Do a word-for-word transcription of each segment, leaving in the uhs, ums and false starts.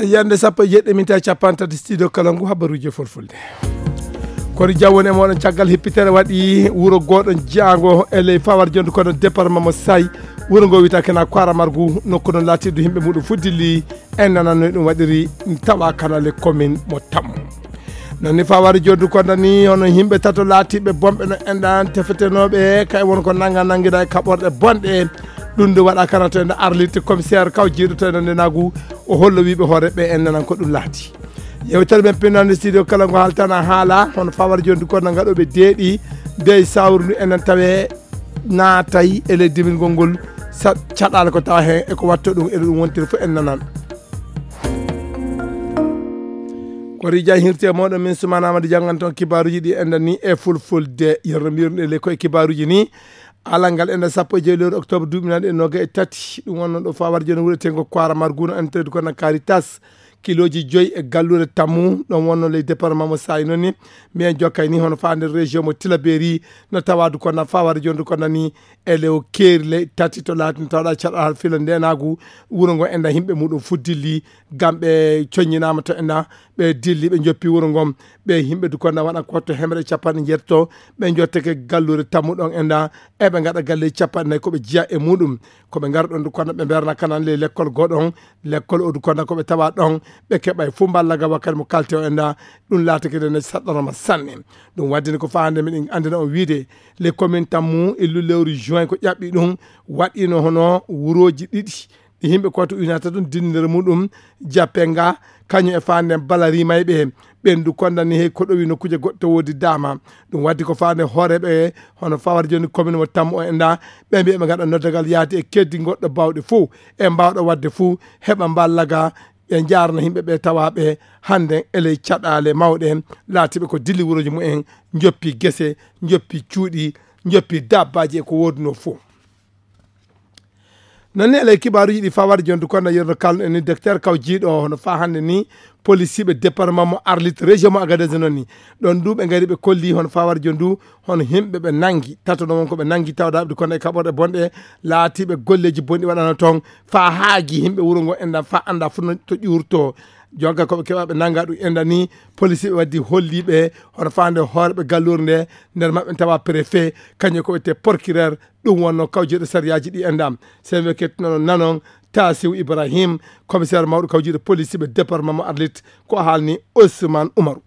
Yande sappo e jeɗɗi minti capanɗe tati, studio kala ngu habaruji e fulfulde. Kono jawwon e moɗon caggal hippitere waɗi wuro goɗo jaango e ley fawar jondu kono département mo Sayi. Wuro ngo wiyata kena Kwara Margu, nokku non latiɗo himɓe muɗum fuddili en nanano ɗum waɗiri tawa kanale commune mo Tammu. Non ni fawar jondu kono ni hono himɓe tato latiɓe bonɓe no enɗan tefetenoɓe kay won ko nanga nangida e kaɓorɗe bonɗe. Ɗum nde waɗa kana to enɗa arlirte commissaire kaw jiiɗo to enɗa ndenagu o hollo wiɓe hoore ɓe en nanan ko ɗum laati. Yewtere men pinnande studio kala ngo haltana haala hono fawar jondu kono ngaɗoɓe deeɗi dey sawru ndu enen tawe naatay e ley dimingol ngol. Sa caɗaale ko tawa heen e ko watta ɗum eɗo ɗum wontiri fof en nanan. Ko rija hirte moɗon min sumana amadi jangan ton kibaruji ɗi enɗan ni e fulfulde yerno mbirɗe ley ko e kibaruji ni. Alal ngal enɗan sappo e joyi lewru octobre duuɓi naaɗi e noga e tati ɗum wonno ɗo fawar joni wuuretengo koara marguno entrede kono Caritas. Kiloji joyi e gallure tammu ɗon wonno ley département mo Sayi noon ni. Mbiyen jokkay ni hono faa nder région mo Tilaberi no tawadu kono fawar jondu kono ni e lew keeri ley tati to laati no tawɗa caɗa hal fila ndenagu. Wuro ngo enɗa himɓe muɗum fuddilli gam ɓe coññinama to enɗa ɓe dilli ɓe joppi wuro ngon. Ɓe himɓe du kono waɗa ko to hemre capanɗe jeetato ɓe jotteke gallure tammu ɗon enɗa eɓe gaɗa galle capanɗe nayi koɓe jiya e muɗum. Koɓe gara ɗon du kono ɓe berna kanan ley lekkol goɗon lekkol o du kono koɓe tawa ɗon ɓe keɓa e fuu mballa ga wakkati mo kalte o enɗa. Ɗum laatake nde saɗɗoroma sanne. Ɗum waddini ko faa hannde miɗen anndina on wiide les commune tammu illu lewru juin ko ƴaɓɓi ɗum waɗino hono wurooji ɗiɗi ɗi yimɓe koto uynata ɗum dinndere muɗum jappe nga kañum e faa nden balari mayɓe ɓendu kondani hey ko ɗowi nokkuje goɗɗo woodi dama. Ɗum waddi ko faa nde hooreɓe hono fawar joni commune mo tammu o enɗa ɓe mbiya ɓe gaɗa noddagal yaade e keddi goɗɗo bawɗe fuu e mbawɗo wadde fuu heɓa mballaga ɓe njaarna yimɓe ɓe tawaɓe hannde e ley caɗaale mawɗe laatiɓe ko dilli wuroji mumen joppi gese joppi cuuɗi joppi dabbaji e ko woduno fof. Noon ni e ley kibaaruji ɗi fawar jondu kono yerno kalno en ni docteur kaw jiiɗo hono fa hannde ni policiɓe département mo arlit région mo agadez noon ni ɗon duuɓe ngari ɓe kolli hono fawar jondu hono himɓe ɓe nangi tatono won ko ɓe nangi tawdaɓe kono e kaɓorɗe bonɗe laatiɓe golleji bonɗi waɗano toon fa haagi himɓe wuro ngo enɗan fa annda fof no to ƴuurto. Jonka koɓe keɓaɓe nanga ɗum enɗan ni policiɓe waddi holliɓe hono fande hooreɓe gallure nde nder maɓɓe tawa préfet kañum ko wiyete procureur. Ɗum wonno kawjeɗo sariyaji ɗi enɗan. Sen we kettunono nanon tasiw ibrahim commissaire mawɗo kawjiɗo policiɓe département mo arlit ko haalni ousmane oumaru.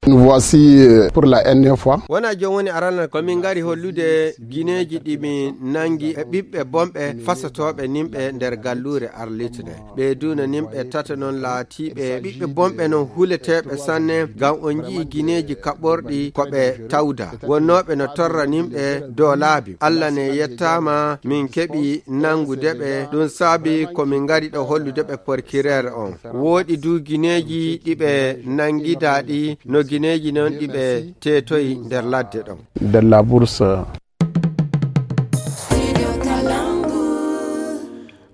Nous voici euh, pour la dernière fois. Wona jooni woni aranal ko min ngari hollude gineeji ɗi min nangi e ɓiɓɓe bonɓe fasotooɓe nimɓe nder galluure arlitde. Ɓe duuna nimɓe tata noon laatiiɓe ɓiɓɓe bonɓe noon huleteeɓe sanne ngam on njii gineeji kaɓorɗi ko ɓe tawda. Wonnooɓe no torra nimɓe dow laabi. Allah ne yettaama min keɓi nanngude ɓe. Ɗum saabi ko min ngari ɗo hollude ɓe porkireer on. Wooɗi du gineeji ɗi ɓe nangidaa ɗi no gineeji noon ɗi ɓe teetoyi nder ladde ɗon. De la bourse.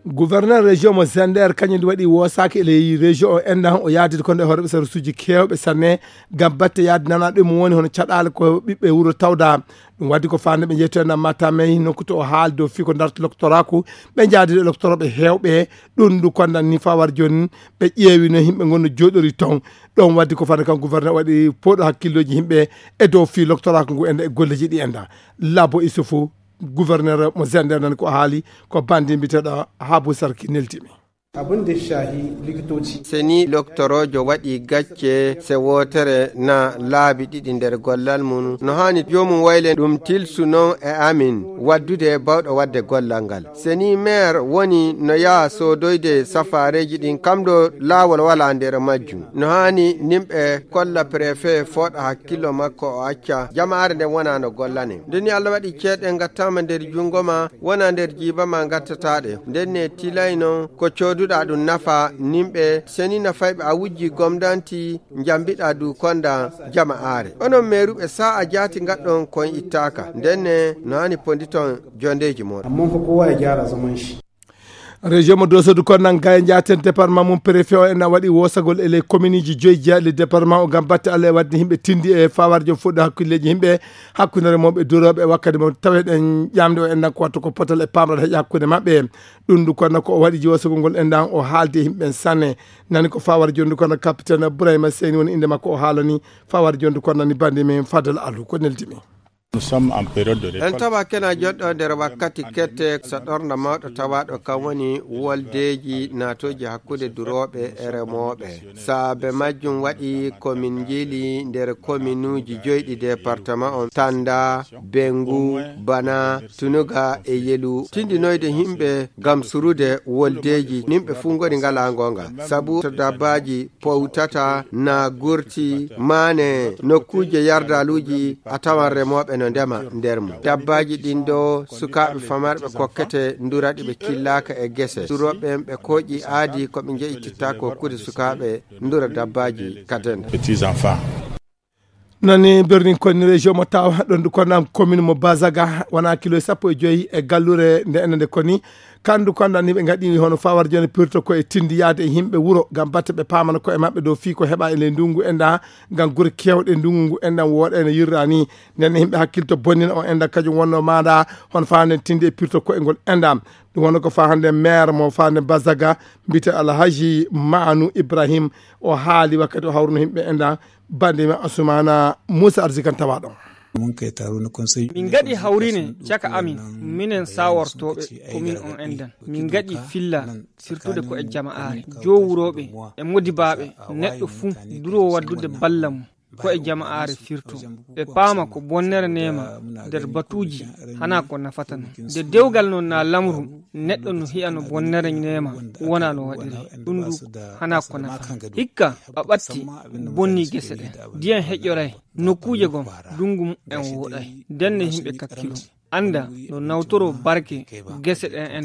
Gouverneur région mo Zender kañum waɗi wosaaki e ley région o enɗan o yaadide kono e hoore ɓe sarsuuji keewɓe sanne ngam batte yaade nana ɗum woni hono caɗaale ko ɓiɓɓe wuro tawda. Ɗum waddi ko faande ɓe jeeto enɗan matamey nokku to o haali dow fii ko darta loktoraaku ɓe njaadi ɗo loktoroɓe heewɓe. Ɗum ndu kondan ni fawar jooni ɓe ƴeewino yimɓe ngonno jooɗori toon. Ɗon waddi ko faande kan gouverneur waɗi pooɗo hakkillooji yimɓe e dow fii loktoraaku ngu enɗa e golleji ɗi enɗa. Labo Isufu gouverneur mo Zender nan ko haali ko bandi mbiteɗo Habu Sarki neltimi. Abin da ya shahi likitoci. Seni loktoroojo waɗi gacce se wootere na laabi ɗiɗi nder gollal mum no haani joomum wayle ɗum tilsu noon e amin waddude bawɗo waɗde gollal ngal. Seni meer woni no yaha soodoyde safaareeji ɗin kam ɗo laawol walaa nder majjum. No haani nimɓe kolla prefe fooɗa hakkillo makko o acca jamaare nden wona no gollane. Nde ni Allah waɗi ceeɗe ngattaama nder junngo ma wona nder jiiba ma ngattataɗe. Nden ne tilay non ko cooduɗa ɗum nafa nimɓe seni nafayɓe a wujji gomdanti njambiɗa du konda jama'aare. Onon meeruɓe sa'a jaati ngaɗɗon kon ittaaka. Nden ne no haani ponditon jondeeji moɗon. Amma fa kowa ya gyara zaman shi. Région mo Doso du Konnan Gaye Ndiaten, département mum, préfet o en waɗi wosagol e les communes ji joyi jeeɗi le département o ngam batte Allah e waɗde yimɓe tindi e fawarjo fuɗɗo hakkilleji yimɓe, hakkunde remooɓe, durooɓe, wakkati mo taweɗen ƴamde o en ko wattu ko potal e pamral heƴa hakkunde maɓɓe. Ɗum du Konnan ko o waɗi jiwosagol ngol en ɗan o haalde e yimɓe sanne. Nani ko fawar jondu Konnan capitaine Ibrahima Seyni woni inde makko o haalani fawar jondu Konnan ni bandi men Fadal Alu ko neldi mi. Nous sommes en période de En récolte. Tawa kena joɗɗo nder wakkati kette so ɗorna mawɗo tawaɗo kam woni woldeji natoji hakkunde durooɓe e remooɓe. Saabe majjum waɗi ko min njiili nder kominuuji joyɗi département on, Tanda, Bengu, Bana, Tunuga e Yelu. Tindinoyde yimɓe ngam surude woldeji, yimɓe fuu ngoni ngalaa ngoonga. Sabu to dabbaaji powtata, na gurti, maane nokkuuje yardaaluuji, a tawan remooɓe no ndema nder mum. Dabbaaji ɗin ɗo, sukaaɓe famarɓe kokkete ndura ɗi ɓe killaaka e gese. Durooɓe ɓen ɓe kooƴi aadi ko ɓe njeƴititta ko kuuɗe sukaaɓe ndura dabbaaji ka denda. Petits enfants. Nani birnin koni région mo tawa ɗon du Konnan commune mo Bazaga, wona kilo sappo e joyi e gallure nde enen nde koni. Kandu Konnan ni ɓe ngaɗi hono fawar joni pirto ko e tindi yaade e yimɓe wuro ngam batte ɓe paamana ko e maɓɓe dow fii ko heɓa e ley ndungu enda ngam gure kewɗe ndungu ngu enɗam wooɗa ene yirra ni. Nden yimɓe hakkilto bonnina o enɗam kajum wonno maɗa hono fawande tindi e pirto ko e ngol enɗam. Ɗum wonno ko fawande maire mo fawande Bazaga, mbite Alhaji Manu Ibrahim, o haali wakkati o hawruno yimɓe enɗam. Bande mi Asumana Musa Arzikan tawa ɗon. Min ngaɗi hawrine caka amin, minen sawortooɓe komin on enɗan. Min ngaɗi filla sirtude ko e jama'aare, jowuroɓe e modibaaɓe, neɗɗo fuu duro waddude balla mum ko e jama'aare firto. Ɓe paama ko bonnere neema nder batuuji hana ko nafata non. Nde dewgal non na lamru, neɗɗo no hi'a no bonnere neema wona no waɗiri. Ɗum du hana ko nafa. Hikka a ɓatti bonni gese ɗen. Ndiyan heƴoray nokkuuje gom, ndungu mum en wooɗay. Ndenne yimɓe kakkilo. Annda no nawtoro barke gese ɗen en.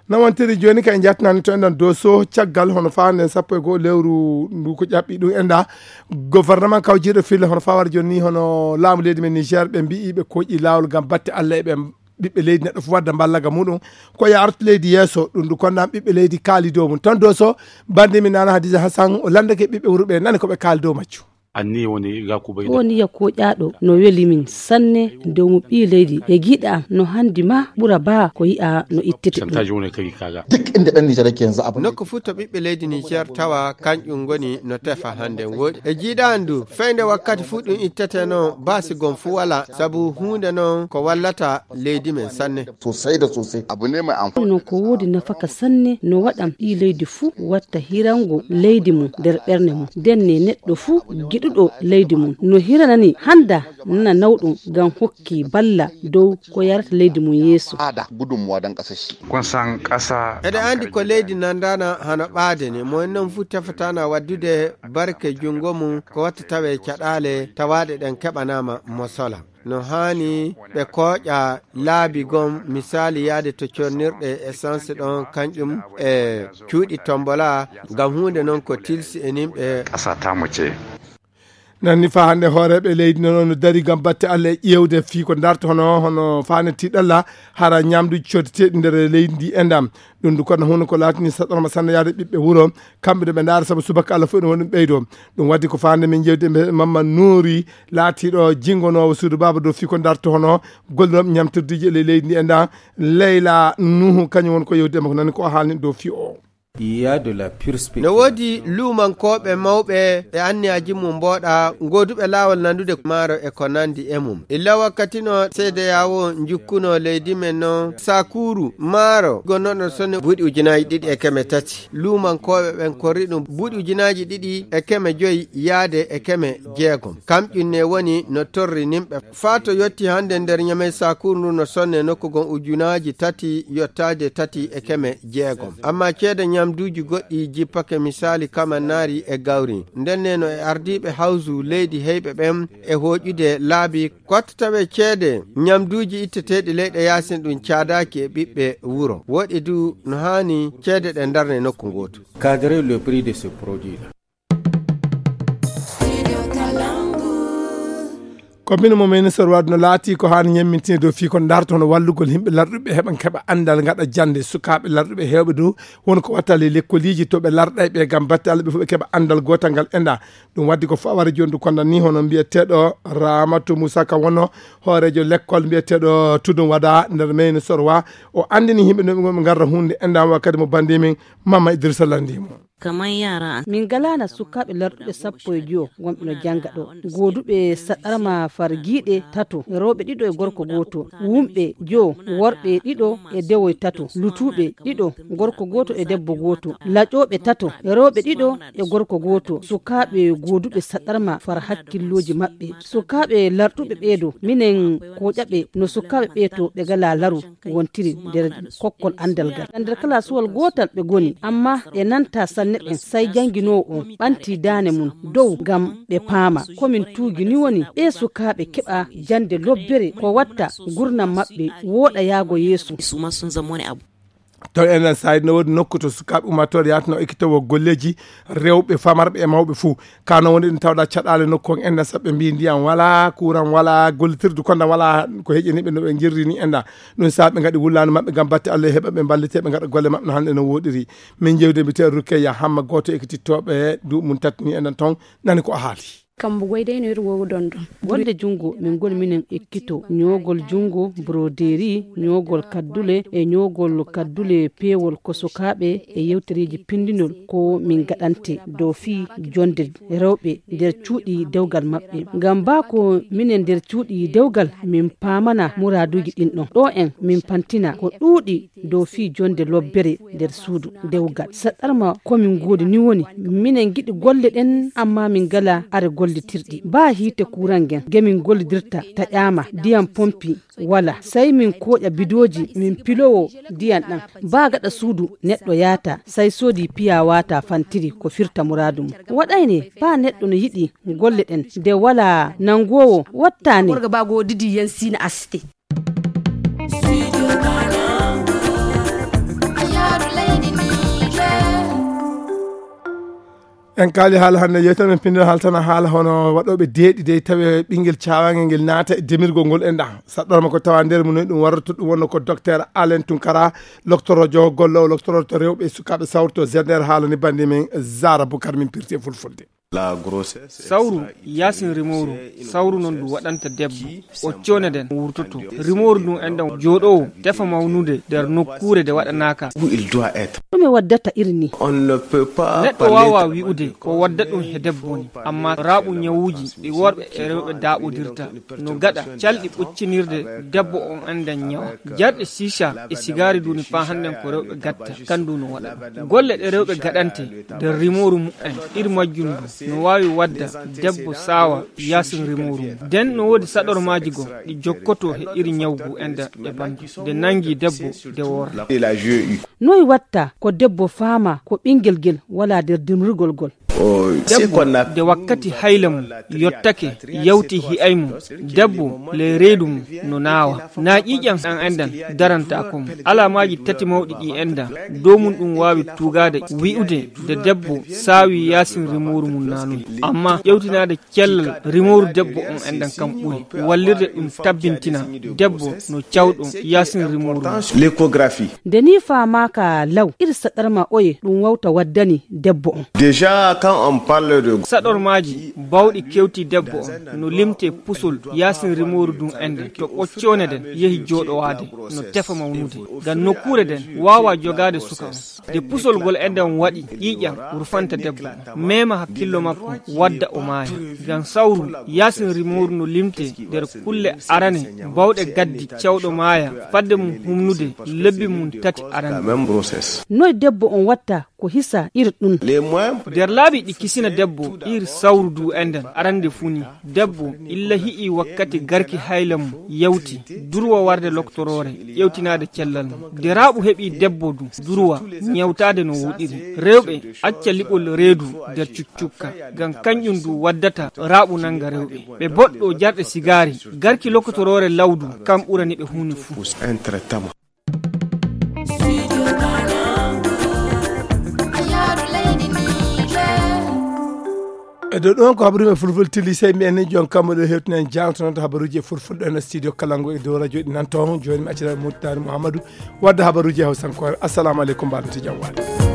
Nawantiri jooni kay njatnani to enɗan doso caggal hono fawande sappo e goo lewru ndu ko ƴaɓɓi ɗum enɗa. Gouvernement kawjiiɗo fille hono fawar joni ni hono laamu leydi men Niger ɓe mbi'i ɓe koƴi laawol ngam batte Allah e ɓe ɓiɓɓe leydi neɗɗo fof wadda mballaga muɗum ko ya artu leydi yeeso. Ɗum ndu konnan ɓiɓɓe leydi kaali dow mum ton doso. Bande mi nana Hadiza Hassan o landake ɓiɓɓe wuro ɓe nani ko ɓe kaali dow majju. Anni woni Yakuba ko woni ya koƴaɗo no weli min sanne dow mo ɓii leydi e giɗa no handi ma ɓura ba ko yi'a no ittete ɗum. Pourcentage woni kadi kaga. Duk inda ɗan Nijar yake yanzu abin da nokku fuu to ɓiɓɓe leydi Nijar tawa kanƴum ngoni no tefa hande woɗi e jiiɗa andu feyde wakkati fuu ɗum ittete non basi gon fuu wala sabu huunde non ko wallata leydi men sanne. Sosai da sosai abu ne mai amfani. Ɗum non ko woodi nafaka sanne no waɗan ɓii leydi fuu watta hirango leydi mum nder ɓernde mum. Ndenne neɗɗo fuu giɗuɗo leydi mum no hiranani handa nana nawɗum ngam hokki balla dow ko yarata leydi mum yeeso. Ada gudunmuwa don ƙasar shi. Kun san ƙasa eɗe andi ko leydi nandana hano ɓaade ni mo en non fuu tefatana waddude barke jungo mum ko watta tawe caɗaale tawaɗe ɗen keɓanama mo sola. No haani ɓe kooƴa laabi gom, misaali yaade to cornirɗe essence ɗon, kanƴum e cuuɗi tombola, ngam huunde non ko tilsi e nimɓe. Asata mo ce. Nanni fa hannde hooreeɓe leydi nono no dari ngam batte Allah e ƴeewde fii ko darto hono hono faane tiɗalla hara ñamduuji coddeteeɗi nder leydi ndi e ndam. Ɗum du kono huno ko laatini saɗorma sanne yaade ɓiɓɓe wuro kamɓe ɗo ɓe ndaara sabu subaka Allah fof ɗum woni ɗum ɓeydo. Ɗum waddi ko faande min jewde mbe mamma nuuri laatiiɗo jingonoowo suudu baaba dow fii ko darto hono gollirooɓe ñamtirdiiji e ley leydi ndi e nda leyla nuhu kañum woni ko yewde makko nani ko o haalni dow fii o. No woodi luumankooɓe mawɓe e anniyaaji mum mbooɗa, gooduɓe laawol nandude maaro e ko nandi e mum. Illa wakkati no seedeya o njukkuno leydi men no sakuuru maaro gonnoɗo sonne buuɗi ujunaaji ɗiɗi e keme tati. Luumankooɓe ɓen korri ɗum buuɗi ujunaaji ɗiɗi e keme joyi yaade e keme jeegom. Kamƴum ne woni no torri nimɓe. Faa to yotti hannde nder Ñamey sakuuru ndu no sonne nokku gon ujunaaji tati yottaade tati e keme jeegom. Ammaa ceede ñamduuji goɗɗi jippake misaali kamannaari e gawri. Ndenne no e ardiiɓe hawsu leydi heyɓe ɓen e hooƴude laabi ko watta tawe ceede ñamduuji itteteeɗi leyɗe yaasin ɗum caadaaki e ɓiɓɓe wuro. Woɗi du no haani ceede ɗe ndarne nokku ngootu. Cadrer le prix de ce produit là. Ko mino mo ministre wadno laati ko haani ñemmintineede dow fii ko darto hono wallugol yimɓe larɗuɓe heɓa keɓa anndal ngaɗa jannde. Sukaaɓe larɗuɓe heewɓe dow won ko wattali lekkoliiji to ɓe larɗay ɓe ngam batte Allah ɓe fof ɓe keɓa anndal gootal ngal enda. Ɗum waddi ko faware jondu konda ni hono mbiyeteeɗo Ramatu Musa ka wonno hooreejo lekkol mbiyeteeɗo Tudun Wada nder meyni Sorwa. O anndini yimɓe no ɓe ngarra hunde enda wakkati mo bandi min Mama Idrissa Landimo. Kaman yara an. Min ngalaana sukaaɓe larɗuɓe sappo e joyo wonɓe no jannga ɗo. Gooduɓe saɗarma fargiiɗe tato, rewɓe ɗiɗo e gorko gooto. Wumɓe joyo, worɓe ɗiɗo e dewoy tato. Lutuuɓe ɗiɗo, gorko gooto e debbo gooto. Laƴooɓe tato, rewɓe ɗiɗo e gorko gooto. Sukaaɓe gooduɓe saɗarma far hakkillooji maɓɓe. Sukaaɓe larɗuɓe ɓeeɗo, minen kooƴaɓe no sukaaɓe ɓeeto ɓe ngalaa laru wontiri nder kokkol anndal ngal. Nder kalaasuwal gootal ɓe ngoni, amma ɓe nanta sanne ɓen, say jannginoowo on ɓanti daane mum dow ngam ɓe paama. Ko min tuugi ni woni ɓee sukaaɓe keɓa jannde lobbere, ko watta ngurnam maɓɓe wooɗa yaago yeeso. Taw enen sayid no woodi nokku to sukaaɓe ummatore yaata no ekkitowo golleeji rewɓe, famarɓe e mawɓe fuu. Kano woni ɗum tawɗa caɗaale nokku on enda saɓɓe mbi ndiyam wala, kuuran wala, gollitirdu konda wala ko heƴeniɓe no ɓe jirri ni enda. Ɗum sa ɓe ngaɗi wullaandu maɓɓe ngam batte Allah heɓa ɓe mballite ɓe ngaɗa golle maɓɓe no hannde no woɗiri. Min jewde mbite Rukeya Hamma gooto ekkitittooɓe duuɓi mum tati ni enda ton nani ko o haali. Kambo goydeyno yeru wowo don don. Wonde junngo min ngoni minen ekkito ñoogol junngo, broderie, ñoogol kaddule e ñoogol kaddule peewol ko sukaaɓe e yewtereeji pinndinol ko min ngaɗante dow fii jonde rewɓe nder cuuɗi dewgal maɓɓe. Ngam baa ko minen nder cuuɗi dewgal min paamana muraaduuji ɗin ɗon. Ɗo en min pantina ko ɗuuɗi dow fii jonde lobbere nder suudu dewgal. Saɗarma ko min ngoodi ni woni, minen ngiɗi golle ɗen, amma min ngala are gollitirɗi. Baa hiite kuuran ngen, nge min gollidirta taƴaama, ndiyam pompi wala. Say min kooƴa bidooji, min pilowo ndiyam ɗan. Baa gaɗa suudu neɗɗo yaata, say soodi piya waata fantiri ko firta muraadu mum. Waɗayne, baa neɗɗo no yiɗi golle ɗen, nde wala nangoowo wattaane. Gorga baa goo didi yan sina aste. En kaali haala hannde, yewtere men pinndere haaltana haala hono waɗooɓe deeɗi dey tawi ɓinngel caawangel ngel naata e demirgol ngol enɗa. Saɗɗorma ko tawa nder mum ɗum warata ɗum wonno ko docteur Alain Tunkara, loktorojo gollowo loktoroto rewɓe e sukaaɓe sawrto Z N R haalani bannde men Zara Bukar min pirti e fulfulde. Sawru yaasin rimooru, sawru noon ɗum waɗanta debbo, o cooñaden wurtoto. Rimooru ndun enɗan jooɗoowo tefa mawnude nder nokkuure nde waɗanaaka. Ɗume waddata iri ni? Neɗɗo waawaa wi'ude ko wadda ɗum he debbo ni, amma raaɓu ñawuuji ɗi worɓe e rewɓe daaɓodirta no gaɗa calɗi ɓoccinirde debbo on enɗan ñawa. Jarɗe shisha e sigaari duni faa hannden ko rewɓe gatta, kan du no waɗa. Golle ɗe rewɓe gaɗante nder rimooru mu'en, iri majjum du no waawi wadda debbo saawa yaasin rimooru mum. Den no woodi saɗormaaji goo ɗi jokkotoo he iri ñawgu enɗan e bandu. Nde nangi debbo, nde woora. Noy watta ko debbo faama ko ɓinngel ngel walaa nder dimrigol ngol? Debbo, nde wakkati hayla mum yottake, yawti hi'ay mum, debbo le reedu mum no naawa. Naa ƴiiƴam ɗan enɗan darantaako mo. Alaamaaji tati mawɗi ɗi enɗan, dow mum ɗum waawi tuugaade wi'ude nde debbo saawi yaasin rimooru mum naanoy. Amma ƴewtinaade cellal rimooru debbo on enɗan kam ɓuri wallirde ɗum tabbintina debbo no cawɗo yaasin rimooru mum. Nde nii faamaaka law, iri saɗarma oye ɗum wawta waddani debbo on? Déjà, quand on parle de saɗormaaji bawɗi kewti debbo on no limte pusol yaasin rimooru ndun enɗan to ɓoccoone nden yehi jooɗowaade no tefa mawnude. Ngam nokkuure nden waawaa jogaade suka on. Nde pusol ngol enɗan waɗi ƴiiƴam rufanta debbo on, meema hakkillo makko, wadda o maaya. Ngam sawru yaasin rimooru no limte nder kulle arane bawɗe gaddi cawɗo maaya fadde mum humnude lebbi mum tati arane. Noy debbo on watta ko hisa iri ɗum? Nder laabi ɗi kisina debbo iri sawru du enɗan arande fu ni, debbo illa hi'i wakkati garki hayla mum yawti, durwa warde loktoroore, ƴewtinaade cellal mum. Nde raaɓu heɓi debbo du, durwa ñawtaade no woɗiri. Rewɓe acca liɓol reedu nder cuccukka, ngam kanƴum du waddata raaɓu nanga rewɓe. Ɓe boɗɗo jarɗe sigaari, garki lokotoroore lawdu, kam ɓurani ɓe huune fuu. Ɗo ɗon ko habaruji e fulfulde, tilli sey mbiyen ni jon kammo ɗo hewtinen jangtonoto habaruji e fulfulde ɗo e studio Kalangu e dow radio ɗi nanto. Joni mi accita Murtani Mouhamadou wadda habaruji e hawsankoore. Assalamu aleykum, mbaɗen jam waade.